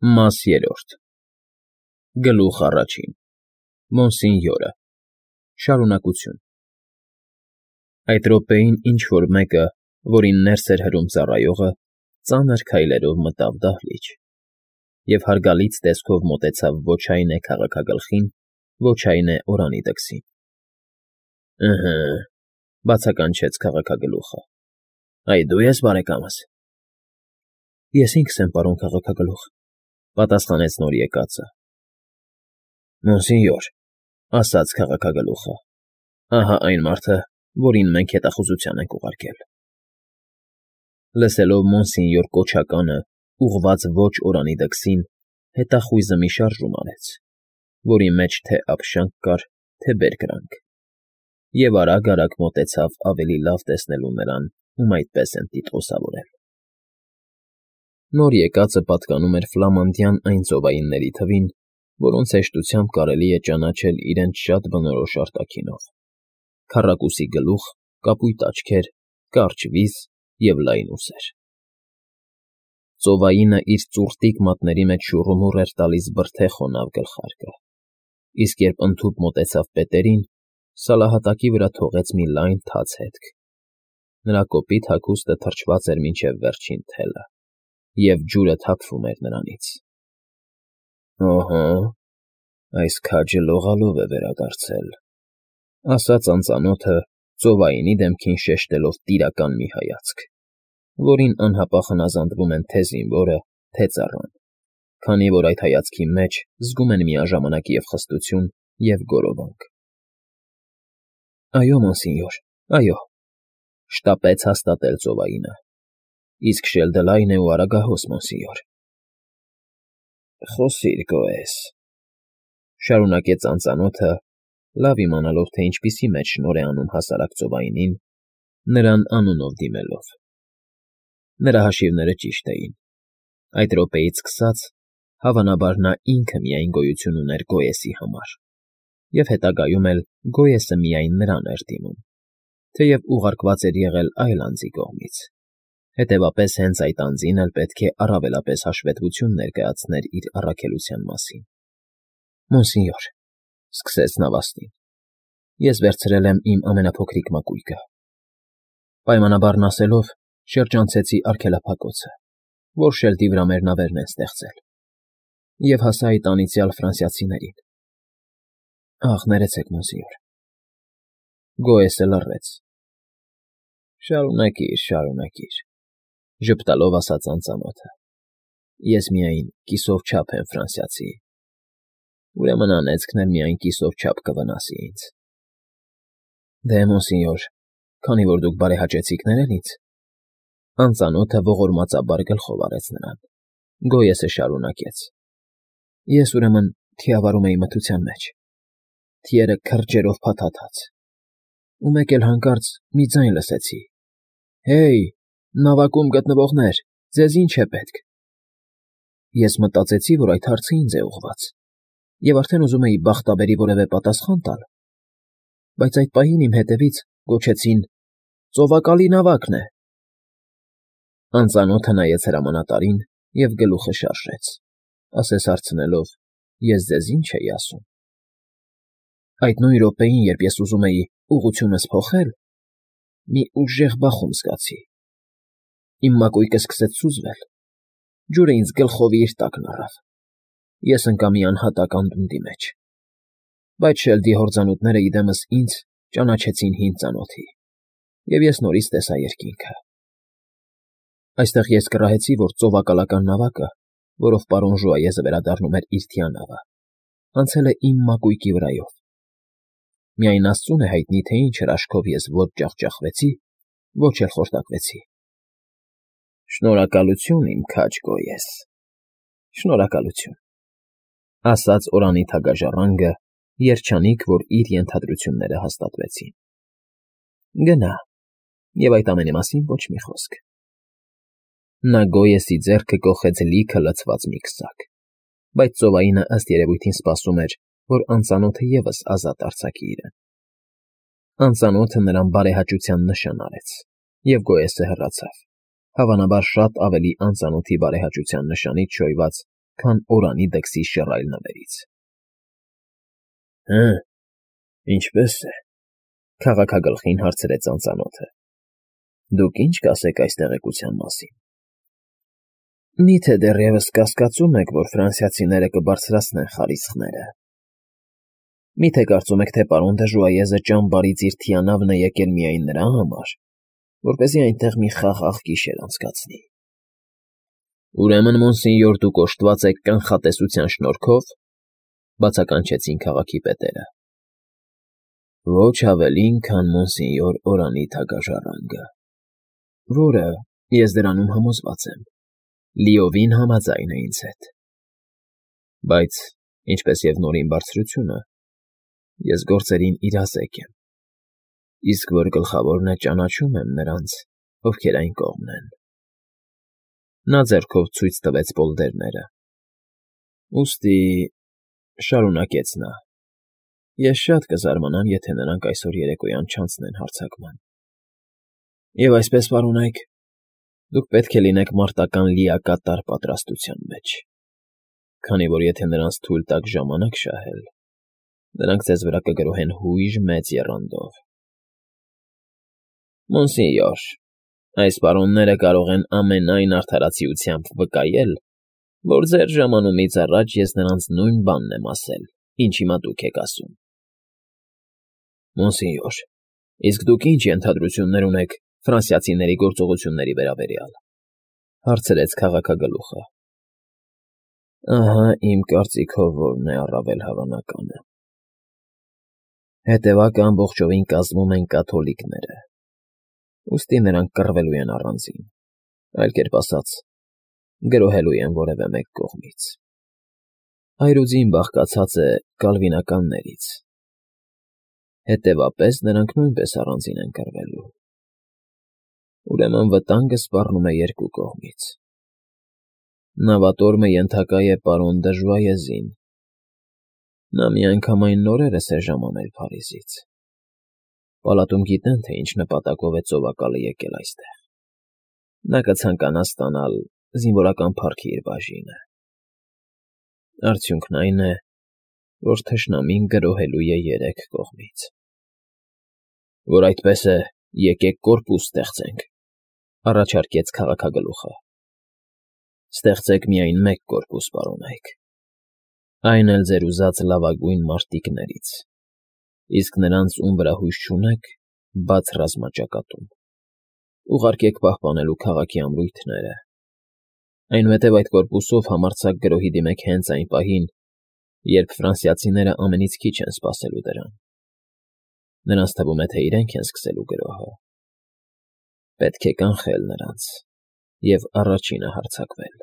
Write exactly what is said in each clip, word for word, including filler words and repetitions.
Մաս երրորդ Գլուխ առաջին Մոնսինյորը Շարունակություն Այդ րոպեին ինչ֊որ մեկը, որին ներս էր հրում ծառայողը, ծանր քայլերով մտավ դահլիճ և հարգալից տեսքով մոտեցավ ոչ այնե քաղաքագլխին, ոչ այնե Օրանի տքսին։ ֊ Ըհը,֊ բացականչեց քաղաքագլուխը։֊ Այ դու ես, բարեկամս։ ֊ Ես ինքս եմ, պարոն քաղաքագլուխ,֊ պատասխանեց նորեկածը։ ֊ Մոնսինյոր,֊ ասաց քաղաքագլուխը,֊ ահա այն մարդը, որին մենք հետախուզության ենք ուղարկել։ Լսելով մոնսինյոր կոչականը, ուղղված ոչ Օրանի տքսին, հետախույզը մի շարժում արեց, որի մեջ թե՛ ափշանք կար, թե՛ բերկրանք, և արագ֊արագ մոտեցավ ավելի լավ տեսնելու նրան, ում այդպես են տիտղոսավորել։ Նոր եկածը պատկանում էր ֆլամանդյան այն ծովայինների թվին, որոնց հեշտությամբ կարելի է ճանաչել իրենց շատ բնորոշ արտաքինով՝ քառակուսի գլուխ, կապույտ աչքեր, կարճ վիզ և լայն ուսեր։ Ծովայինը իր ծուռտիկ մատների մեջ շուռումուռ էր տալիս բրդե խոնավ գլխարկը, իսկ երբ ընդհուպ մոտեցավ պետերին, սալահատակի վրա թողեց մի լայն թաց հետք. նրա կոպիտ հագուստը թրջված էր մինչև վերջին թելը, և ջուրը թափվում էր նրանից։ ֊ Օհո, այս քաջը լողալով է վերադարձել,֊ ասաց անծանոթը, ծովայինի դեմքին շեշտելով տիրական մի հայացք, որին անհապաղ հնազանդվում են թե՛ զինվորը, թե՛ ծառան, քանի որ այդ հայացքի մեջ զգում են միաժամանակ և՛ խստություն, և՛ գոռոբանք։ ֊ Այո, մոնսինյոր, այո,֊ շտապեց հաստատել ծովայինը,֊ իսկ շելդը լայն է ու արագահոս, մոնսինյոր։ ֊ Խոսիր, գոհես,֊ շարունակեց անծանոթը, լավ իմանալով, թե ինչպիսի մեջ շնորհ է անում հասարակ ծովայինին, նրան անունով դիմելով։ Նրա հաշիվները ճիշտ էին. այդ րոպեից սկսած, հավանաբար, նա ինքը միայն գոյություն ուներ Գոյեսի համար, և հետագայում էլ Գոյեսը միայն նրան էր դիմում, թեև ուղարկված էր եղել այլ անձի կողմից, հետևապես հենց այդ անձին էլ պետք է առավելապես հաշվետվություն ներկայացներ իր առաքելության մասին։ ֊ Մոնսինյոր,֊ սկսեց նավաստին,֊ ես վերցրել եմ իմ ամենափոքրիկ մակույկը. պայմանաբարն ասելով, շրջանցեցի արգելափակոցը, որ շելդի վրա մեր նավերն են ստեղծել, և հասա այդ անիծյալ ֆրանսիացիներին։ ֊ Ախ, ներեցեք, մոնսինյոր… Գոյեսը լռեց։ ֊ Շարունակիր, շարունակիր,֊ ժպտալով ասաց անծանոթը,֊ ես միայն կիսով չափ եմ ֆրանսիացի, ուրեմն անեծքն էլ միայն կիսով չափ կվնասի ինձ։ ֊ Դե, մոնսինյոր, քանի որ դուք բարեհաճեցիք ներել ինձ,֊ անծանոթը ողորմածաբար գլխով արեց նրան, Գոյեսը շարունակեց,֊ ես, ուրեմն, թիավարում էի մթության մեջ, թիերը քրջերով փաթաթած, ու մեկ էլ հանկարծ մի ձայն լսեցի. «Հե՜յ, նավակում գտնվողներ, ձեզ ի՞նչ է պետք»։ Ես մտածեցի, որ այդ հարցը ինձ է ուղղված, և արդեն ուզում էի բախտաբերի որևէ պատասխան տալ, բայց այդ պահին իմ հետևից գոչեցին. «Ծովակալի նավակն է»։ Անծանոթը նայեց հրամանատարին և գլուխը շարժեց, ասես հարցնելով. «Ես ձեզ ի՞նչ էի ասում»։ Այդ նույն րոպեին, երբ ես ուզում էի ուղղությունս փոխել, մի ուժեղ բախում զգացի. իմ մակույկը սկսեց սուզվել, ջուրը ինձ գլխովի իր տակն առավ, ես ընկա մի անհատակ անդունդի մեջ, բայց շելդի հորձանուտները, ի դեմս ինձ, ճանաչեցին հին ծանոթի, և ես նորից տեսա երկինքը։ Այստեղ ես կռահեցի, որ ծովակալական նավակը, որով պարոն Ժուայեզը վերադառնում էր իր թիանավը, անցել է իմ մակույկի վրայով։ Միայն աստծուն է հայտնի, թե ինչ հրաշքով ես ոչ ջախջախվեցի, ոչ էլ խորտակվեցի։ ֊ Շնորհակալություն, իմ քաջ Գոյես, շնորհակալություն,֊ ասաց Օրանի թագաժառանգը, երջանիկ, որ իր ենթադրությունները հաստատվեցին։ ֊ Գնա, և այդ ամենի մասին ոչ մի խոսք։ Նա Գոյեսի ձեռքը կոխեց լիքը լցված մի քսակ, բայց ծովայինը ըստ երևույթին սպասում էր, որ անծանոթը ևս ազատ արձակի իրեն։ Անծանոթը նրան բարեհաճության նշան արեց, և Գոյեսը հեռացավ, հավանաբար շատ ավելի անծանոթի բարեհաճության նշանից շոյված, քան օրանի դքսի շռայլ նվերից։ ֊ Հը, ինչպե՞ս է,֊ քաղաքագլխին հարցրեց անծանոթը։֊ Դուք ի՞նչ կասեք այս տեղեկության մասին։ ֊ Մի՞թե դեռևս կասկածում եք, որ ֆրանսիացիները կբարձրացնեն խարիսխները։ Մի՞թե կարծում եք, թե պարոն Դժուայեզը ճամբարից իր թիանավն է եկել միայն նրա համար, որպեսզի այնտեղ մի խաղաղ գիշեր անցկացնի։ ֊ Ուրեմն, մոնսենյոր, դուք օժտված եք կանխատեսության շնորհքով,֊ բացականչեցին քաղաքի պետերը։ ֊ Ոչ ավելին, քան մոնսենյոր Օրանի թագաժառանգը, որը, ես դրանում համոզված եմ, լիովին համաձայն է ինձ հետ։ Բայց, ինչպես և Նորին Բարձրությունը, ես գործերին իրազեկ եմ, իսկ որ գլխավորն է, ճանաչում եմ նրանց, ովքեր այն կողմն են։ Նա ձեռքով ցույց տվեց պոլդերները։ Ուստի,֊ շարունակեց նա,֊ ես շատ կզարմանամ, եթե նրանք այսօր երեկոյան չանցնեն հարձակման։ Եվ այսպես, պարոնայք, դուք պետք է լինեք մարտական լիակատար պատրաստության մեջ, քանի որ եթե նրանց թույլ տաք ժամանակ շահել, նրանք ձեզ վրա կգրոհեն հույժ մեծ եռանդով։ ֊ Մոնսենյոր, այս պարոնները կարող են ամենայն արդարացիությամբ վկայել, որ ձեր ժամանումից առաջ ես նրանց նույն բանն եմ ասել, ինչ հիմա դուք եք ասում։ ֊ Մոնսենյոր, իսկ դուք ի՞նչ ենթադրություններ ունեք ֆրանսիացիների գործողությունների վերաբերյալ,֊ հարցրեց քաղաքագլուխը։ ֊ Ահա իմ կարծիքով որն է առավել հավանականը։ Հետևակը ամբողջովին կազմում են կաթոլիկները, ուստի նրանք կռվելու են առանձին, այլ կերպ ասած, գրոհելու են որևէ մեկ կողմից։ Այրուձին բաղկացած է կալվինականներից, հետևապես նրանք նույնպես առանձին են կռվելու։ Ուրեմն վտանգը սպառնում է երկու կողմից։ Նավատորմը ենթակա է պարոն Դժուայեզին։ Նա միանգամայն նորերս է ժամանել Փարիզից։ Պալատում գիտեն, թե ինչ նպատակով է ծովակալը եկել այստեղ։ Նա կցանկանա ստանալ զինվորական փառքի իր բաժինը։ Արդյունքն այն է, որ թշնամին գրոհելու է երեք կողմից։ ֊ Որ այդպես է, եկեք կորպուս ստեղծենք,֊ առաջարկեց քաղաքագլուխը։ ֊ Ստեղծեք միայն մեկ կորպուս, պարոնայք, այն էլ ձեր ուզած լավագույն մարտիկներից, իսկ նրանց, ում վրա հույս չունեք, բաց ռազմաճակատում, ուղարկեք պահպանելու քաղաքի ամրույթները, այնուհետև այդ կորպուսով համարձակ գրոհի դիմեք հենց այն պահին, երբ ֆրանսիացիները ամենից քիչ են սպասելու դրան։ Նրանց թվում է, թե իրենք են սկսելու գրոհը։ Պետք է կանխել նրանց և առաջինը հարձակվել։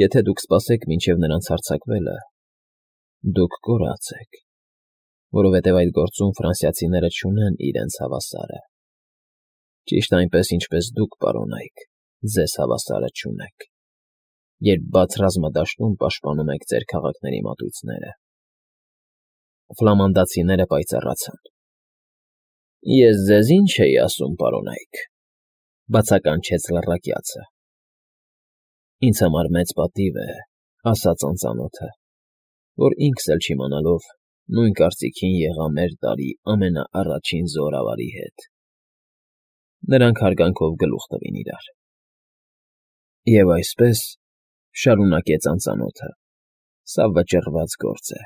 Եթե դուք սպասեք մինչև նրանց հարձակվելը, դուք կորած եք, որովհետև այդ գործում ֆրանսիացիները չունեն իրենց հավասարը, ճիշտ այնպես, ինչպես դուք, պարոնայք, ձեզ հավասարը չունեք, երբ բաց ռազմադաշտում պաշտպանում եք ձեր քաղաքների մատույցները։ Ֆլամանդացիները պայծառացան։ ֊ Ես ձեզ ի՞նչ էի ասում, պարոնայք,֊ բացականչեց լռակյացը։ ֊ Ինձ համար մեծ պատիվ է,֊ ասաց անծանոթը, որ ինքս էլ չիմանալով նույն կարծիքին եղա մեր տարի ամենաառաջին զորավարի հետ։ Նրանք հարգանքով գլուխ տվին իրար։ ֊ Եվ այսպես,֊ շարունակեց անծանոթը,֊ սա վճռված գործ է։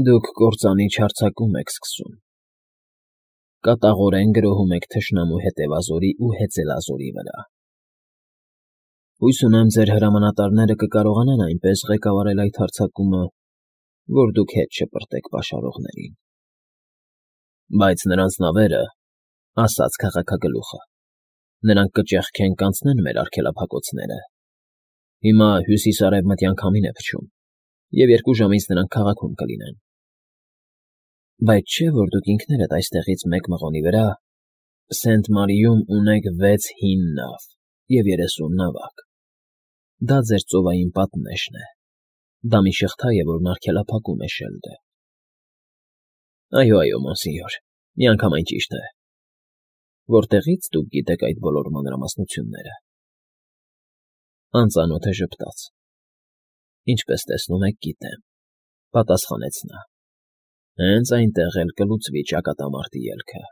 Դուք կործանիչ հարձակում եք սկսում։ Կատաղորեն գրոհում եք թշնամու հետևազորի ու հեծելազորի վրա։ Հույս ունեմ, ձեր հրամանատարները կկարողանան այնպես ղեկավարել այդ հարձակումը, որ դուք հետ չպրտեք պաշարողներին։ ֊ Բայց նրանց նավերը,֊ ասաց քաղաքագլուխը,֊ նրանք կճեղքեն կանցնեն մեր արգելափակոցները։ Հիմա հյուսիս֊արևմտյան քամին է փչում, և երկու ժամից նրանք քաղաքում կլինեն։ ֊ Բայց չէ՞ որ դուք ինքներդ այստեղից մեկ մղոնի վրա, Սենտ֊Մարիում ունեք վեց հին նավ և երեսուն նավակ։ Դա ձեր ծովային պատնեշն է, դա մի շղթա է, որն արգելափակում է շելդը։ ֊ Այո, այո, մոնսենյոր, միանգամայն ճիշտ է։ Որտեղի՞ց դուք գիտեք այդ բոլոր մանրամասնությունները։ Անծանոթը ժպտաց։ Ինչպես տեսնում եք, գիտեմ,֊ պատասխանեց նա։֊ Հենց այնտեղ էլ կլուծվի ճակատամարտի ելքը։